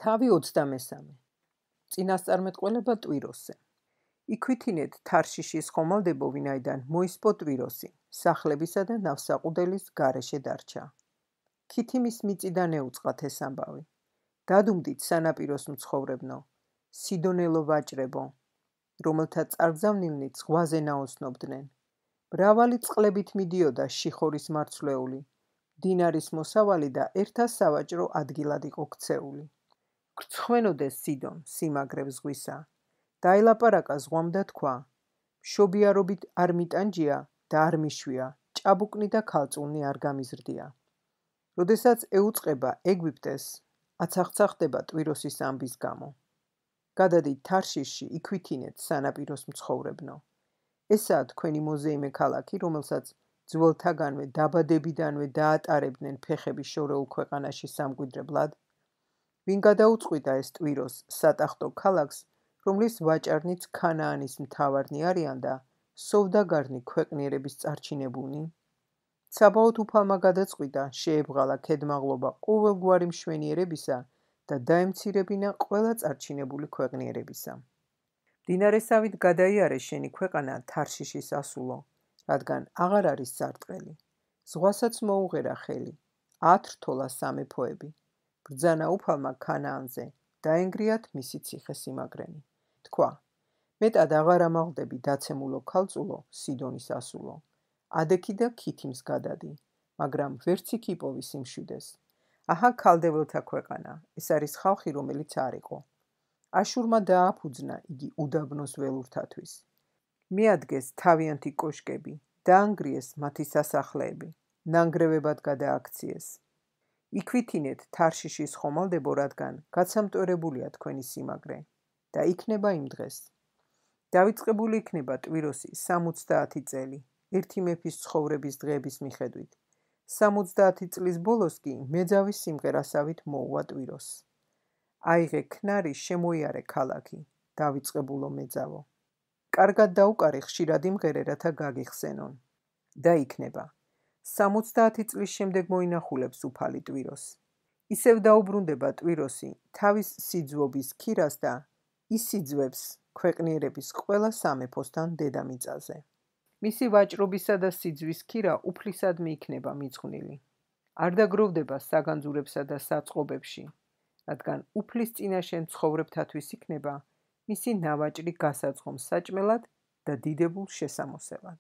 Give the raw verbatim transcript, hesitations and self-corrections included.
თავი ოცდამესამე. წინასწარმეტყველება ტვიროსზე. იქვითინეთ თარშიშის ხომალდებო, ვინაიდან მოისპო ტვიროსი, სახლებისა და ნავსაყუდელის გარეშე დარჩა. ქითიმის მიწიდან ეუწყათ ეს ამბავი. დადუმდით სანაპიროს მცხოვრებნო, სიდონელო ვაჭრებო, რომელთა წარგზავნილნი ზღვაზე ნაოსნობდნენ. მრავალი წყლებით მიდიოდა შიხორის მარცვლეული, დინარის მოსავალი და ერთა სავაჭრო ადგილად იყო ქცეული. გრცხვენოდეს სიდონ, სიმაგრე ზღვისა. დაელაპარაკა ზღვამ და თქვა: მშობიარობით არ მიტანჯია და არ მიშვია, ჭაბუკნი და ქალწულნი არ გამიზრდია. როდესაც ეუწყება ეგვიპტეს, აცახცახდება ტვიროსის ამბის გამო. გადადით თარშიში, იქვითინეთ სანაპიროს მცხოვრებნო. ესაა თქვენი მოზეიმე ქალაქი, რომელსაც ძველთაგანვე დაბადებიდანვე დაატარებდნენ ფეხები შორეულ ქვეყანაში სამკვიდრებლად. ვინ გადაუწყვიდა ეს ტვიროს სატახტო ქალაქს, რომლის ვაჭარნიც ქანაანის მთავარნი არიან და სოვდაგარნი ქვეყნიერების წარჩინებულნი? საბაოთ უფალმა გადაწყვიტა შეებრღალა ქედმაღლობა ყოველგვარი მშვენიერებისა და დაემცირებინა ყველა წარჩინებული ქვეყნიერებისა. მდინარესავით გადაიარე შენი ქვეყანა თარშიშის ასულო, რადგან აღარ არის სარტყელი. ზღვასაც მოუღერა ხელი, ათრთოლა სამეფოები. ბრძანა უფალმა ქანაანზე, დაენგრიათ მისი ციხე-სიმაგრენი. თქვა: მეტად აღარ ამაღლდები დაცემულო ქალწულო, სიდონის ასულო. ადექი და ქითიმს გადადი, მაგრამ ვერც იქ იპოვი სიმშვიდეს. აჰა ქალდეველთა ქვეყანა, ეს არის ხალხი, რომელიც არ იყო. აშურმა დააფუძნა იგი უდაბნოს ველურთათვის. მიადგეს თავიანთი კოშკები, დაანგრიეს მათი სასახლეები, ნანგრევებად გადააქციეს. იქვითინეთ თარშიშის ხომალდებო, რადგან გაცამტვერებულია თქვენი სიმაგრე და იქნება იმ დღეს. დავიწყებული იქნება ტვიროსი სამოცდაათი წელი, ერთი მეფის ცხოვრების დღეების მიხედვით. სამოცდაათი წლის ბოლოს კი მეძავის სიმღერასავით მოუვა ტვიროს. აიღე ქნარი, შემოიარე ქალაქი, დავიწყებულო მეძავო. კარგად დაუკარი ხშირად იმღერე, რათა გაგიხსენონ. და იქნება. სამოცდაათი წლის შემდეგ მოინახულებს უფალი ტვიროს. ისევ დაუბრუნდება ტვიროსი თავის სიძვობის ქირას და ისიძვებს ქვეყნიერების ყველა სამეფოსთან დედამიწაზე. მისი ვაჭრობისა და სიძვის ქირა უფლისადმი იქნება მიძღვნილი. არ დაგროვდება საგანძურებსა და საწყობებში, რადგან უფლის წინაშე მცხოვრებთათვის იქნება მისი ნავაჭრი გასაძღომ საჭმელად და დიდებულ შესამოსელად.